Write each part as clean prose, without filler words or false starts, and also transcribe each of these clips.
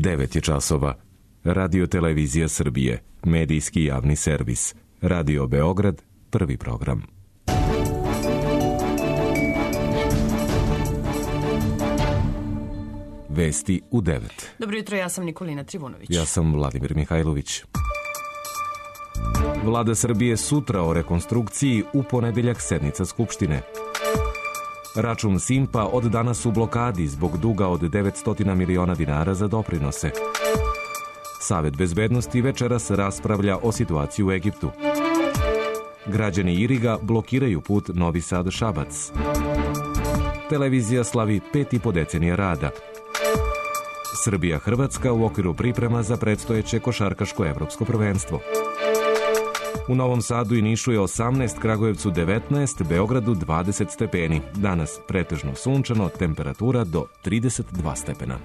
9 je časova. Radio Televizija Srbije, medijski javni servis. Radio Beograd, prvi program. Vesti u 9. Dobro jutro, ja sam Nikolina Trivunović. Ja sam Vladimir Mihajlović. Vlada Srbije sutra o rekonstrukciji, u ponedeljak sednica Skupštine. Račun Simpa od danas u blokadi zbog duga od 900 miliona dinara za doprinose. Savet bezbednosti večeras raspravlja o situaciji u Egiptu. Građani Iriga blokiraju put Novi Sad-Šabac. Televizija slavi 5,5 decenija rada. Srbija-Hrvatska u okviru priprema za predstojeće košarkaško evropsko prvenstvo. U Novom Sadu i Nišu je 18, Kragujevcu 19, Beogradu 20 stepeni. Danas pretežno sunčano, temperatura do 32 stepena.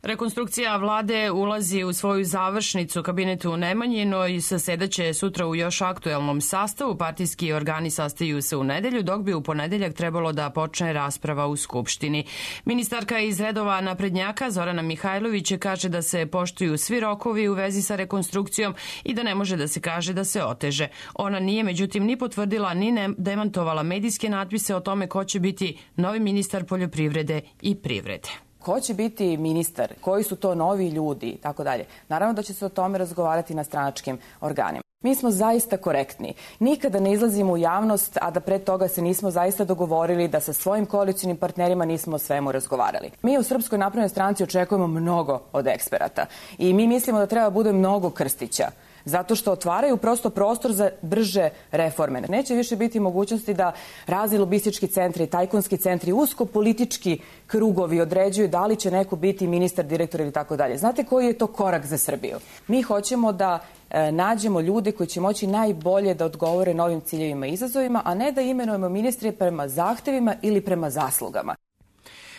Rekonstrukcija vlade ulazi u svoju završnicu. Kabinetu u Nemanjinoj zasedaće sutra u još aktuelnom sastavu. Partijski organi sastaju se u nedelju, dok bi u ponedeljak trebalo da počne rasprava u Skupštini. Ministarka iz redova naprednjaka Zorana Mihajlović kaže da se poštuju svi rokovi u vezi sa rekonstrukcijom i da ne može da se kaže da se oteže. Ona nije međutim ni potvrdila ni demantovala medijske natpise o tome ko će biti novi ministar poljoprivrede i privrede. Ko će biti ministar, koji su to novi ljudi i tako dalje. Naravno da će se o tome razgovarati na stranačkim organima. Mi smo zaista korektni. Nikada ne izlazimo u javnost, a da pre toga se nismo zaista dogovorili, da sa svojim koalicionim partnerima nismo o svemu razgovarali. Mi u Srpskoj naprednoj stranci očekujemo mnogo od eksperata i mi mislimo da treba bude mnogo Krstića, zato što otvaraju prosto prostor za brže reforme. Neće više biti mogućnosti da razni lobistički centri, tajkunski centri, usko politički krugovi određuju da li će neko biti ministar, direktor ili tako dalje. Znate koji je to korak za Srbiju? Mi hoćemo da nađemo ljude koji će moći najbolje da odgovore novim ciljevima i izazovima, a ne da imenujemo ministre prema zahtevima ili prema zaslugama.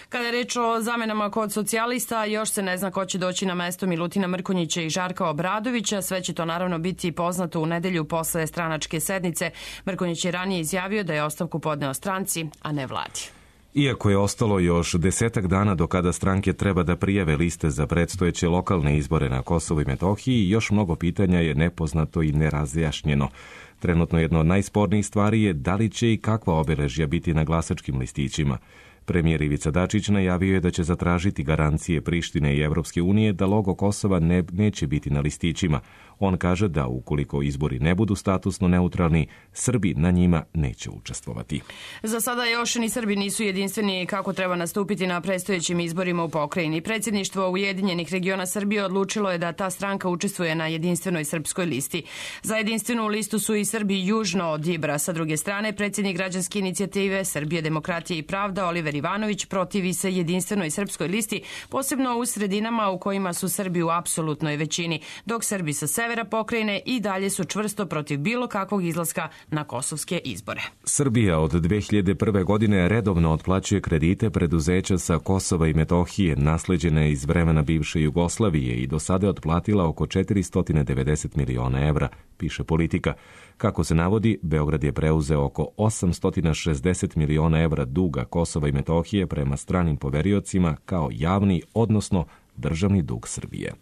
Kada je reč o zamenama kod socijalista, još se ne zna ko će doći na mesto Milutina Mrkonjića i Žarka Obradovića. Sve će to naravno biti poznato u nedelju posle stranačke sednice. Mrkonjić je ranije izjavio da je ostavku podneo stranci, a ne vladi. Iako je ostalo još 10 dana do kada stranke treba da prijave liste za predstojeće lokalne izbore na Kosovu i Metohiji, još mnogo pitanja je nepoznato i nerazjašnjeno. Trenutno jedno od najspornijih stvari je da li će i kakva obeležja biti na glasačkim listićima. Premijer Ivica Dačić najavio je da će zatražiti garancije Prištine i Evropske unije da logo Kosova neće biti na listićima. On kaže da ukoliko izbori ne budu statusno neutralni, Srbi na njima neće učestvovati. Za sada još ni Srbi nisu jedinstveni kako treba nastupiti na predstojećim izborima u pokrajini. Predsjedništvo Ujedinjenih regiona Srbije odlučilo je da ta stranka učestvuje na jedinstvenoj srpskoj listi. Za jedinstvenu listu su i Srbi južno od Ibra. Sa druge strane, predsjednik građanske inicijative Srbije, demokratije i pravda Oliver Ivanović protivi se jedinstvenoj srpskoj listi, posebno u sredinama u kojima su Srbi u apsolutnoj većini, dok Srbi sa severa pokrajine i dalje su čvrsto protiv bilo kakvog izlaska na kosovske izbore. Srbija od 2001. godine redovno otplaćuje kredite preduzeća sa Kosova i Metohije, nasleđene iz vremena bivše Jugoslavije, i do sada je otplatila oko 490 miliona evra, piše Politika. Kako se navodi, Beograd je preuzeo oko 860 miliona evra duga Kosova i Metohije prema stranim poveriocima kao javni, odnosno državni dug Srbije.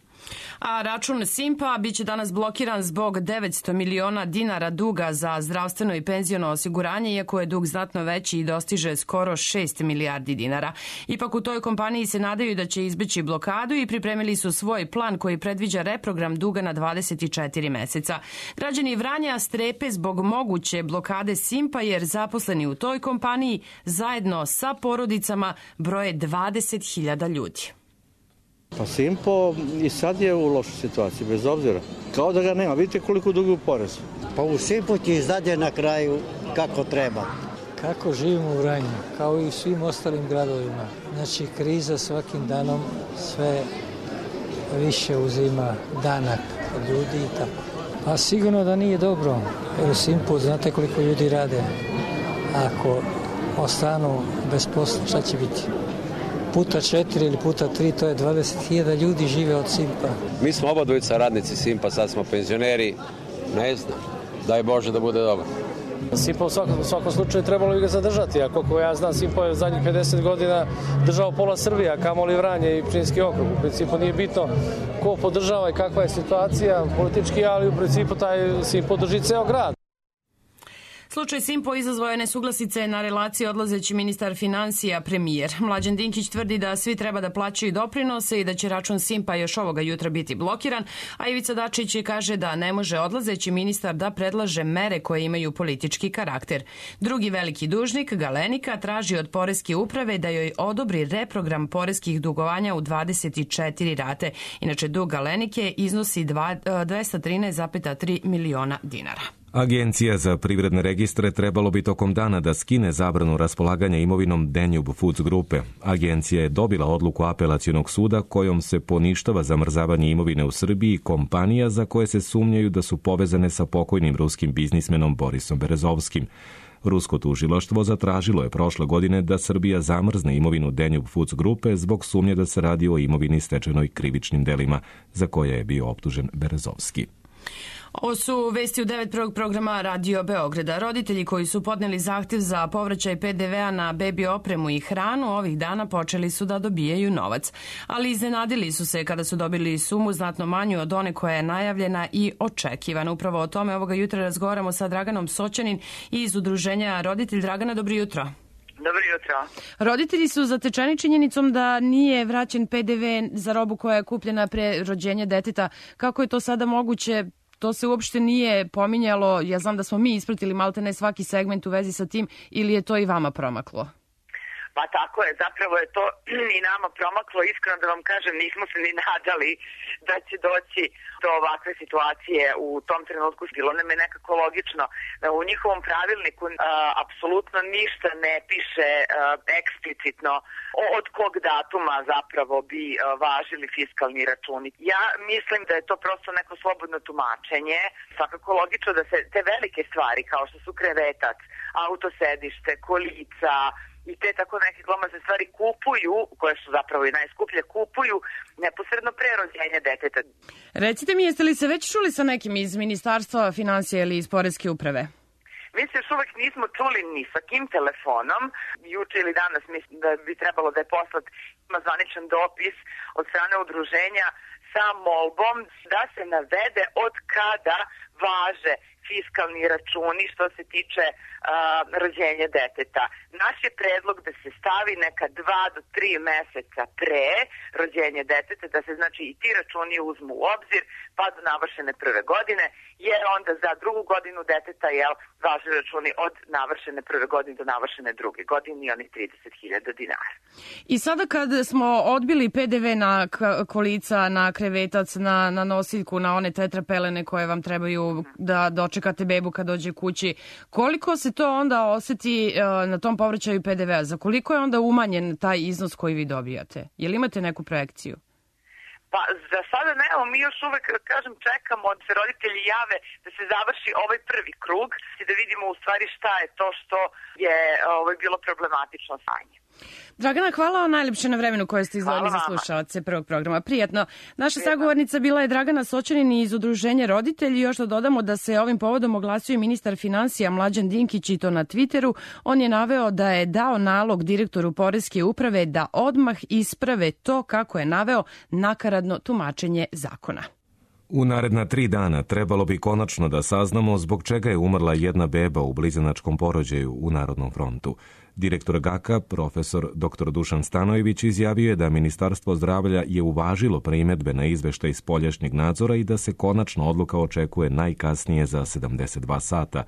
A račun Simpa biće danas blokiran zbog 900 miliona dinara duga za zdravstveno i penziono osiguranje, iako je dug znatno veći i dostiže skoro 6 milijardi dinara. Ipak u toj kompaniji se nadaju da će izbeći blokadu i pripremili su svoj plan koji predviđa reprogram duga na 24 meseca. Građani Vranja strepe zbog moguće blokade Simpa jer zaposleni u toj kompaniji zajedno sa porodicama broje 20.000 ljudi. Pa Simpo i sad je u lošoj situaciji, bez obzira. Kao da ga nema. Vidite koliko duguju porez. Pa u Simpu ti izdade na kraju kako treba. Kako živimo u Vranju, kao i u svim ostalim gradovima. Znači, kriza svakim danom sve više uzima danak od ljudi i tako. Pa sigurno da nije dobro. Jer u Simpu znate koliko ljudi rade. Ako ostanu bez posla, šta će biti? Puta 4 ili puta 3, to je 20.000 ljudi žive od Simpa. Mi smo oba dvojica radnici Simpa, sad smo penzioneri. Ne znam, daj Bože da bude dobro. Simpa u svakom slučaju trebalo bi ga zadržati, a koliko ja znam, Simpa je zadnjih 50 godina držao pola Srbije, a kamoli Vranje i Pčinjski okrug. U principu nije bitno ko podržava i kakva je situacija politički, ali u principu taj Simpa drži ceo grad. Slučaj Simpo izazvao je nesuglasice na relaciji odlazeći ministar financija premijer. Mlađan Dinkić tvrdi da svi treba da plaćaju doprinose i da će račun Simpa još ovoga jutra biti blokiran, a Ivica Dačić kaže da ne može odlazeći ministar da predlaže mere koje imaju politički karakter. Drugi veliki dužnik, Galenika, traži od Poreske uprave da joj odobri reprogram poreskih dugovanja u 24 rate. Inače, dug Galenike iznosi 213,3 miliona dinara. Agencija za privredne registre trebalo bi tokom dana da skine zabranu raspolaganja imovinom Danube Foods grupe. Agencija je dobila odluku apelacionog suda kojom se poništava zamrzavanje imovine u Srbiji kompanija za koje se sumnjaju da su povezane sa pokojnim ruskim biznismenom Borisom Berezovskim. Rusko tužilaštvo zatražilo je prošle godine da Srbija zamrzne imovinu Danube Foods grupe zbog sumnje da se radi o imovini stečenoj krivičnim delima za koje je bio optužen Berezovski. Ovo su vesti u 9 prvog programa Radio Beograda. Roditelji koji su podneli zahtev za povraćaj PDV-a na bebi opremu i hranu ovih dana počeli su da dobijaju novac. Ali iznenadili su se kada su dobili sumu znatno manju od one koja je najavljena i očekivana. Upravo o tome ovoga jutra razgovaramo sa Draganom Soćanin iz udruženja Roditelj. Dragana, dobro jutro. Dobro jutro. Roditelji su zatečeni činjenicom da nije vraćen PDV za robu koja je kupljena pre rođenja deteta. Kako je to sada moguće? To se uopšte nije pominjalo. Ja znam da smo mi ispratili maltene svaki segment u vezi sa tim, ili je to i vama promaklo? Pa tako je, zapravo je to i nama promaklo. Iskreno da vam kažem, nismo se ni nadali da će doći do ovakve situacije u tom trenutku. Bilo nam je nekako logično da u njihovom pravilniku apsolutno ništa ne piše eksplicitno od kog datuma zapravo bi važili fiskalni računi. Ja mislim da je to prosto neko slobodno tumačenje. Svakako logično da se te velike stvari kao što su krevetac, autosedište, kolica i te tako neke glomazne stvari kupuju, koje su zapravo i najskuplje, kupuju neposredno pre rođenja deteta. Recite mi, jeste li se već čuli sa nekim iz Ministarstva financija ili iz Poreske uprave? Mi se još uvek nismo čuli ni sa kim telefonom. Juče ili danas mislim da bi trebalo da je poslat zvaničan dopis od strane udruženja sa molbom da se navede od kada važe fiskalni računi što se tiče rođenja deteta. Naš je predlog da se stavi neka 2 do 3 meseca pre rođenja deteta, da se znači i ti računi uzmu u obzir pa do navršene prve godine, jer onda za drugu godinu deteta važe računi od navršene prve godine do navršene druge godine i oni 30.000 dinara. I sada kad smo odbili PDV na kolica, na krevetac, na nosiljku, na one tetrapelene koje vam trebaju da dočekate bebu kad dođe kući, koliko se to onda oseti na tom povraćaju PDV-a? Za koliko je onda umanjen taj iznos koji vi dobijate? Je li imate neku projekciju? Pa za sada nemamo, mi još uvek, kažem, čekamo da se roditelji jave da se završi ovaj prvi krug i da vidimo u stvari šta je to što je bilo problematično stanje. Dragana, hvala vam najljepše na vremenu koje ste izdvojili za slušalce prvog programa. Prijatno. Naša sagovornica bila je Dragana Soćanin iz udruženja Roditelji. Još da dodamo da se ovim povodom oglasio i ministar financija Mlađan Dinkić i to na Twitteru. On je naveo da je dao nalog direktoru Poreske uprave da odmah isprave to, kako je naveo, nakaradno tumačenje zakona. U naredna 3 dana trebalo bi konačno da saznamo zbog čega je umrla jedna beba u blizanačkom porođaju u Narodnom frontu. Direktor GAK-a, profesor dr. Dušan Stanojević, izjavio je da Ministarstvo zdravlja je uvažilo primedbe na izveštaj spoljašnjeg nadzora i da se konačna odluka očekuje najkasnije za 72 sata.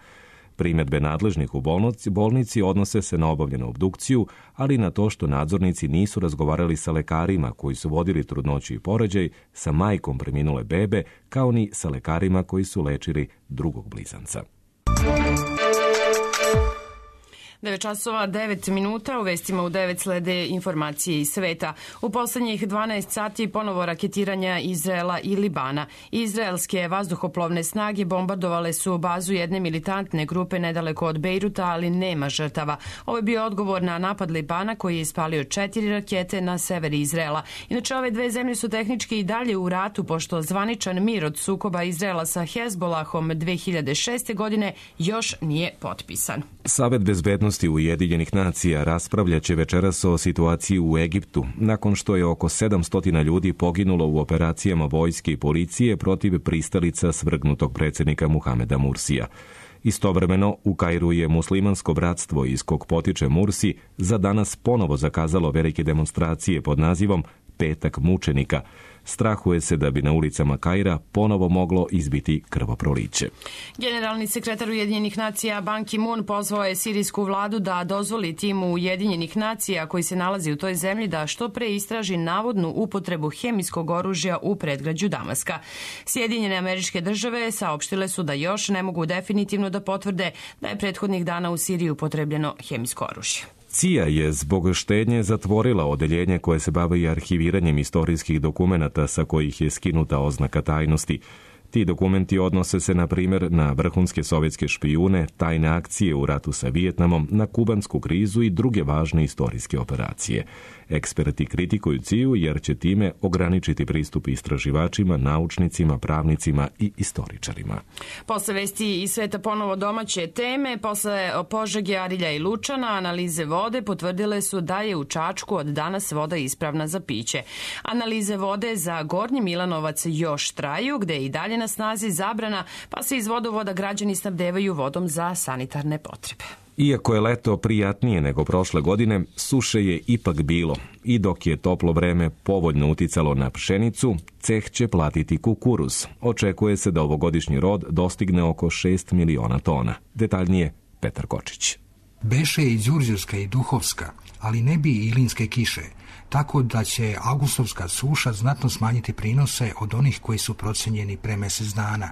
Primedbe nadležnih u bolnici odnose se na obavljenu obdukciju, ali i na to što nadzornici nisu razgovarali sa lekarima koji su vodili trudnoću i porođaj, sa majkom preminule bebe, kao ni sa lekarima koji su lečili drugog blizanca. 9 časova 9 minuta, u vestima u 9 slede informacije iz sveta. U poslednjih 12 sati ponovo raketiranja Izraela i Libana. Izraelske vazduhoplovne snage bombardovale su bazu jedne militantne grupe nedaleko od Bejruta, ali nema žrtava. Ovo je bio odgovor na napad Libana koji je ispalio 4 rakete na sever Izraela. Inače, ove dve zemlje su tehnički i dalje u ratu, pošto zvaničan mir od sukoba Izraela sa Hezbolahom 2006. godine još nije potpisan. Savet bezbednosti Ujedinjenih nacija raspravljaće večeras o situaciji u Egiptu, nakon što je oko 700 ljudi poginulo u operacijama vojske i policije protiv pristalica svrgnutog predsjednika Muhameda Mursija. Istovremeno, u Kairu je muslimansko bratstvo iz kog potiče Mursi za danas ponovo zakazalo velike demonstracije pod nazivom Petak mučenika. Strahuje se da bi na ulicama Kaira ponovo moglo izbiti krvoproliće. Generalni sekretar Ujedinjenih nacija Ban Ki-moon pozvao je sirijsku vladu da dozvoli timu Ujedinjenih nacija koji se nalazi u toj zemlji da što pre istraži navodnu upotrebu hemijskog oružja u predgrađu Damaska. Sjedinjene Američke Države saopštile su da još ne mogu definitivno da potvrde da je prethodnih dana u Siriji upotrebljeno hemijsko oružje. CIA je zbog štednje zatvorila odeljenje koje se bavi arhiviranjem istorijskih dokumenata sa kojih je skinuta oznaka tajnosti. Ti dokumenti odnose se, na primjer, na vrhunske sovjetske špijune, tajne akcije u ratu sa Vijetnamom, na kubansku krizu i druge važne istorijske operacije. Eksperti kritikuju CIA jer će time ograničiti pristup istraživačima, naučnicima, pravnicima i istoričarima. Posle vesti iz sveta ponovo domaće teme, posle Požege, Arilja i Lučana, analize vode potvrdile su da je u Čačku od danas voda ispravna za piće. Analize vode za Gornji Milanovac još traju, gde je i dalje na snazi zabrana, pa se iz vodovoda građani snabdevaju vodom za sanitarne potrebe. Iako je leto prijatnije nego prošle godine, suše je ipak bilo i dok je toplo vreme povoljno uticalo na pšenicu, ceh će platiti kukuruz. Očekuje se da ovogodišnji rod dostigne oko 6 miliona tona. Detaljnije Petar Kočić. Beše i Đurđevska i Duhovska, ali ne bi i ilinske kiše, tako da će augustovska suša znatno smanjiti prinose od onih koji su procenjeni pre mesec dana.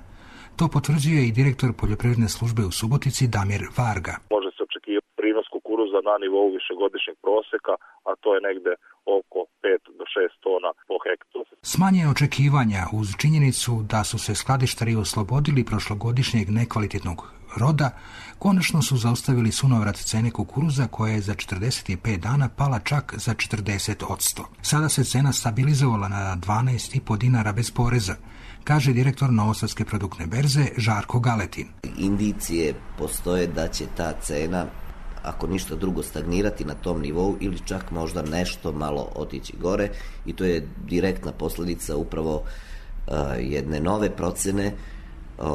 To potvrđuje i direktor poljoprivredne službe u Subotici Damir Varga. Može se očekivati prinos kukuruza na nivou višegodišnjeg proseka, a to je negde oko 5 do 6 tona po hektaru. Smanje očekivanja uz činjenicu da su se skladištari oslobodili prošlogodišnjeg nekvalitetnog roda, konačno su zaustavili sunovrat cene kukuruza koja je za 45 dana pala čak za 40%. Sada se cena stabilizovala na 12,5 dinara bez poreza, kaže direktor Novosadske produktne berze Žarko Galetin. Indicije postoje da će ta cena, ako ništa drugo, stagnirati na tom nivou ili čak možda nešto malo otići gore, i to je direktna posljedica upravo jedne nove procene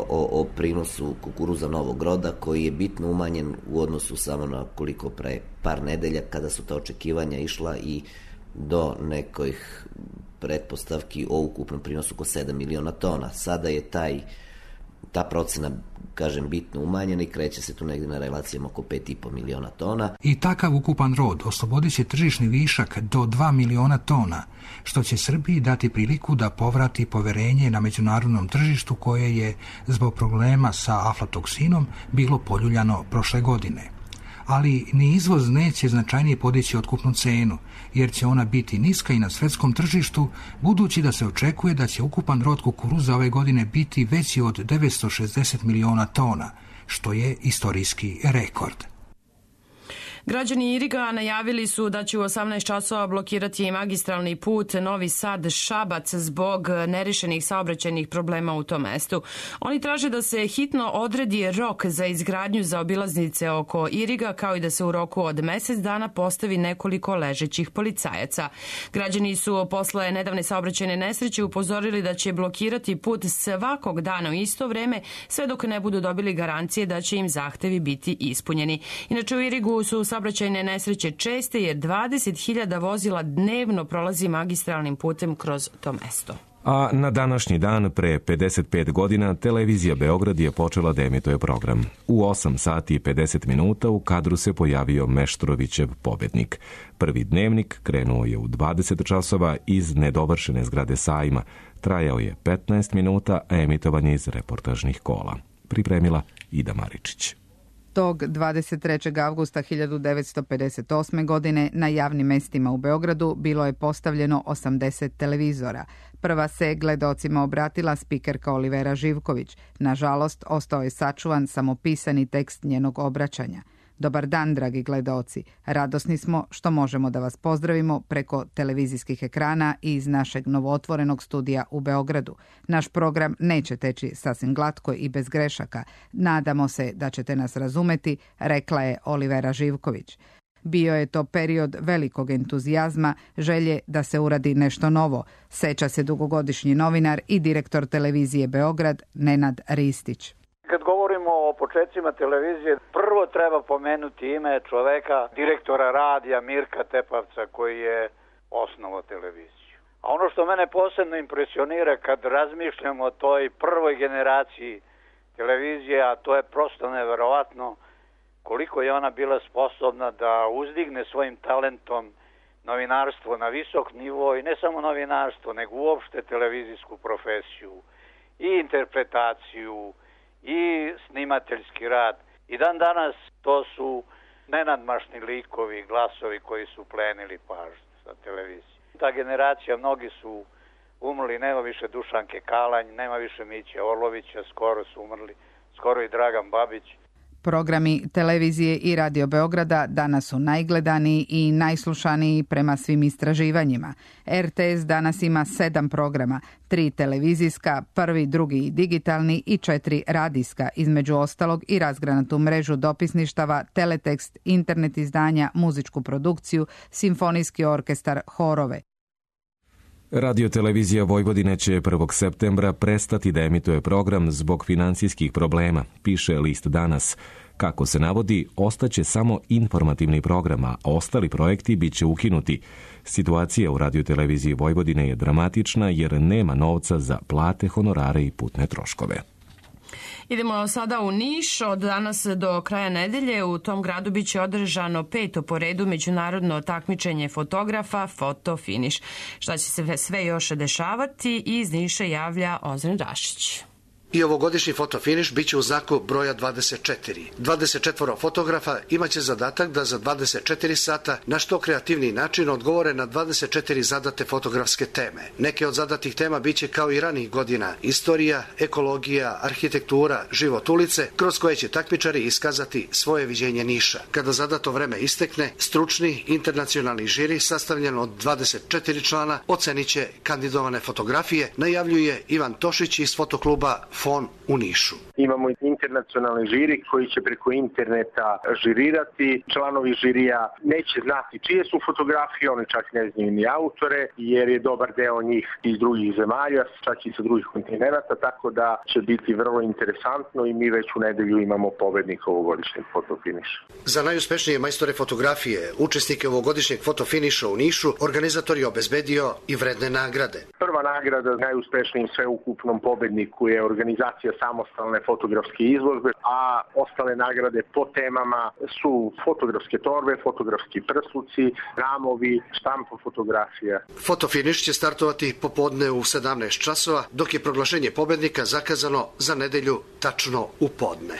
o prinosu kukuruza novog roda, koji je bitno umanjen u odnosu samo na koliko pre par nedelja, kada su ta očekivanja išla i do nekojih pretpostavki o ukupnom prinosu oko 7 miliona tona. Sada je ta procena, kažem, bitno umanjena i kreće se tu negdje na relacijama oko 5,5 miliona tona. I takav ukupan rod oslobodit će tržišni višak do 2 miliona tona, što će Srbiji dati priliku da povrati poverenje na međunarodnom tržištu koje je zbog problema sa aflatoksinom bilo poljuljano prošle godine. Ali ni izvoz neće značajnije podići otkupnu cenu, jer će ona biti niska i na svjetskom tržištu, budući da se očekuje da će ukupan rod kukuruza ove godine biti veći od 960 miliona tona, što je istorijski rekord. Građani Iriga najavili su da će u 18 časova blokirati magistralni put Novi Sad-Šabac zbog nerešenih saobraćajnih problema u tom mestu. Oni traže da se hitno odredi rok za izgradnju zaobilaznice oko Iriga, kao i da se u roku od mesec dana postavi nekoliko ležećih policajaca. Građani su posle nedavne saobraćajne nesreće upozorili da će blokirati put svakog dana u isto vreme, sve dok ne budu dobili garancije da će im zahtevi biti ispunjeni. Inače, u Irigu su saobraćajne nesreće česte jer 20.000 vozila dnevno prolazi magistralnim putem kroz to mesto. A na današnji dan pre 55 godina televizija Beograd je počela da emituje program. U 8 sati i 50 minuta u kadru se pojavio Meštrovićev pobednik. Prvi dnevnik krenuo je u 20 časova iz nedovršene zgrade Sajma. Trajao je 15 minuta, a emitovan je iz reportažnih kola. Pripremila Ida Maričić. Tog 23. avgusta 1958. godine na javnim mestima u Beogradu bilo je postavljeno 80 televizora. Prva se gledaocima obratila spikerka Olivera Živković. Nažalost, ostao je sačuvan samo pisani tekst njenog obraćanja. Dobar dan, dragi gledaoci. Radosni smo što možemo da vas pozdravimo preko televizijskih ekrana i iz našeg novootvorenog studija u Beogradu. Naš program neće teći sasvim glatko i bez grešaka. Nadamo se da ćete nas razumeti, rekla je Olivera Živković. Bio je to period velikog entuzijazma, želje da se uradi nešto novo, seća se dugogodišnji novinar i direktor televizije Beograd Nenad Ristić. Kad govorimo o početcima televizije, prvo treba pomenuti ime čoveka, direktora radija Mirka Tepavca, koji je osnovao televiziju. A ono što mene posebno impresionira kad razmišljam o toj prvoj generaciji televizije, a to je prosto neverovatno koliko je ona bila sposobna da uzdigne svojim talentom novinarstvo na visok nivo i ne samo novinarstvo, nego uopšte televizijsku profesiju i interpretaciju i snimateljski rad. I dan danas to su nenadmašni likovi, glasovi koji su plenili pažnju sa televizije. Ta generacija, mnogi su umrli, nema više Dušanke Kalanj, nema više Miće Orlovića, skoro su umrli, skoro i Dragan Babić. Programi televizije i Radio Beograda danas su najgledaniji i najslušaniji prema svim istraživanjima. RTS danas ima 7 programa, 3 televizijska, 1., 2. digitalni i 4 radijska, između ostalog i razgranatu mrežu dopisništava, teletekst, internet izdanja, muzičku produkciju, simfonijski orkestar, horove. Radio-televizija Vojvodine će 1. septembra prestati da emituje program zbog financijskih problema, piše list Danas. Kako se navodi, ostaće samo informativni program, a ostali projekti bit će ukinuti. Situacija u Radio-televiziji Vojvodine je dramatična jer nema novca za plate, honorare i putne troškove. Idemo sada u Niš. Od danas do kraja nedelje u tom gradu biće održano 5. po redu međunarodno takmičenje fotografa Foto Finiš. Šta će se sve još dešavati? Iz Niša javlja Ozren Rašić. I ovogodišnji fotofiniš biće u znaku broja 24. 24 fotografa imaće zadatak da za 24 sata na što kreativniji način odgovore na 24 zadate fotografske teme. Neke od zadatih tema biće kao i ranih godina: istorija, ekologija, arhitektura, život ulice, kroz koje će takmičari iskazati svoje viđenje Niša. Kada zadato vreme istekne, stručni internacionalni žiri sastavljen od 24 člana ocenit će kandidovane fotografije, najavljuje Ivan Tošić iz fotokluba Fon u Nišu. Imamo internacionalni žiri koji će preko interneta žirirati. Članovi žirija neće znati čije su fotografije, oni čak ne znaju ni autore, jer je dobar deo njih iz drugih zemalja, čak i sa drugih kontinenata, tako da će biti vrlo interesantno i mi već u nedelju imamo pobednika ovogodišnjeg fotofiniša. Za najuspešnije majstore fotografije, učesnike ovogodišnjeg fotofiniša u Nišu, organizator je obezbedio i vredne nagrade. Prva nagrada najuspešnijim sveukupnom pobedniku je organizacija samostalne fotografske izložbe, a ostale nagrade po temama su fotografske torbe, fotografski prsluci, ramovi, štampa fotografija. Fotofiniš će startovati popodne u 17 časova, dok je proglašenje pobednika zakazano za nedelju tačno u podne.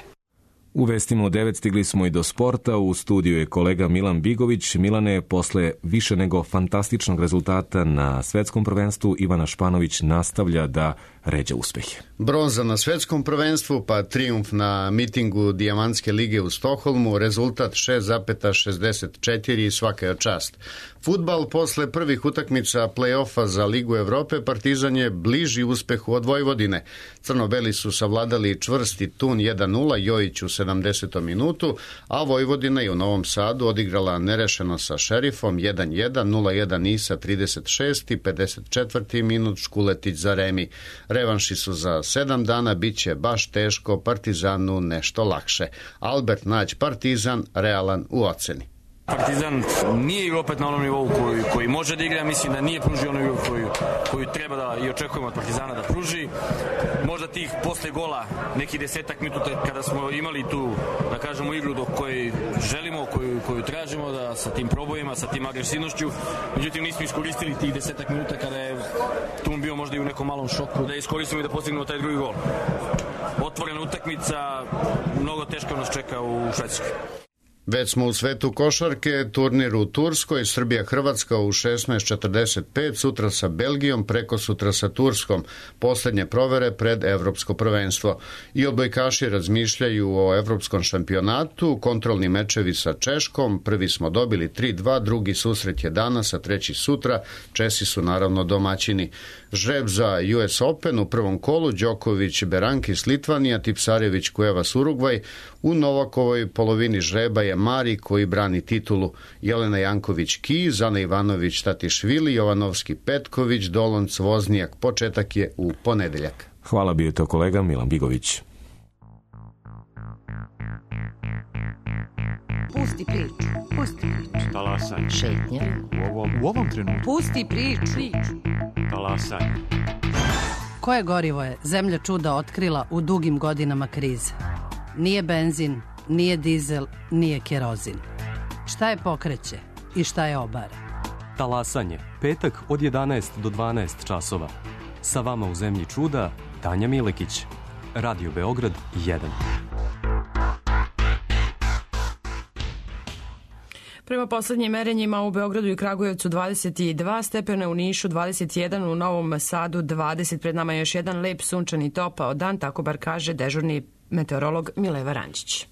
U vestima u 9 stigli smo i do sporta. U studiju je kolega Milan Bigović. Milane, posle više nego fantastičnog rezultata na svetskom prvenstvu, Ivana Španović nastavlja da ređa uspehe. Bronza na svetskom prvenstvu, pa trijumf na mitingu Dijamantske lige u Stokholmu, rezultat 6,64 i svaka je čast. Fudbal, posle prvih utakmica play-offa za Ligu Evrope, Partizan je bliži uspehu od Vojvodine. Crno-beli su savladali čvrsti Tun 1-0, Jojić u 70. minutu, a Vojvodina je u Novom Sadu odigrala nerešeno sa Šerifom 1-1, 0-1 Nisa 36. i 54. minut Škuletić za remi. Revanši su za 7 dana, bit će baš teško, Partizanu nešto lakše. Albert Nać, Partizan, realan u oceni. Partizan nije igrao opet na onom nivou koji može da igra, mislim da nije pružio ono koju treba da i očekujemo od Partizana da pruži. Možda tih posle gola nekih 10 minuta kada smo imali tu, da kažemo, igru do koje želimo, koju tražimo, da sa tim probojima, sa tim agresivnošću, međutim nismo iskoristili tih 10 minuta kada je tu bio možda i u nekom malom šoku da iskoristimo i da postignemo taj drugi gol. otvorena utakmica, mnogo teško nas čeka u Švedskoj. Već smo u svetu košarke, turnir u Turskoj, Srbija-Hrvatska u 16:45, sutra sa Belgijom, preko sutra sa Turskom, posljednje provere pred evropsko prvenstvo. I odbojkaši razmišljaju o evropskom šampionatu, kontrolni mečevi sa Češkom, prvi smo dobili 3-2, drugi susret je danas, a treći sutra, Česi su naravno domaćini. Žreb za US Open u prvom kolu, Đoković, Berankis, Litvanija, Tipsarević, Kuevas, Urugvaj, u Novakovoj polovini žreba je Mari koji brani titulu, Jelena Janković Kiz, Ana Ivanović Tatišvili, Jovanovski Petković, Dolonc Voznijak. Početak je u ponedeljak. Hvala, bio je to kolega Milan Bigović. Pusti priču. Pusti priču. Talasanje. Šetnja. U ovom trenutku. Pusti priču. Talasanje. Koje gorivo je zemlja čuda otkrila u dugim godinama krize? Nije benzin, nije dizel, nije kerozin. Šta je pokreće i šta je obara? Talasanje. Petak od 11 do 12 časova. Sa vama u zemlji čuda, Tanja Milekić. Radio Beograd 1. Prema poslednjim merenjima u Beogradu i Kragujevcu 22 stepena, u Nišu 21, u Novom Sadu 20. Pred nama je još jedan lep sunčani topao dan, tako bar kaže dežurni meteorolog Mileva Rančić.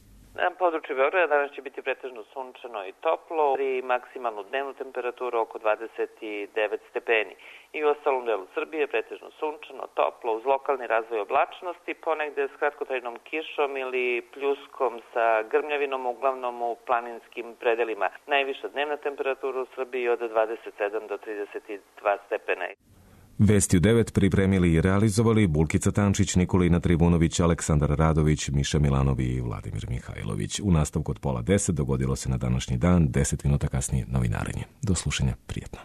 Na području Beograda danas će biti pretežno sunčano i toplo i maksimalnu dnevnu temperaturu oko 29 stepeni. I u ostalom delu Srbije pretežno sunčano, toplo, uz lokalni razvoj oblačnosti, ponegde s kratkotrajnom kišom ili pljuskom sa grmljavinom, uglavnom u planinskim predelima. Najviša dnevna temperatura u Srbiji od 27 do 32 stepena. Vesti u 9 pripremili i realizovali Bulkica Tančić, Nikolina Tribunović, Aleksandar Radović, Miša Milanovi i Vladimir Mihajlović. U nastavku od 9:30 dogodilo se na današnji dan, 10 minuta kasnije novinarenje. Do slušanja, prijetno.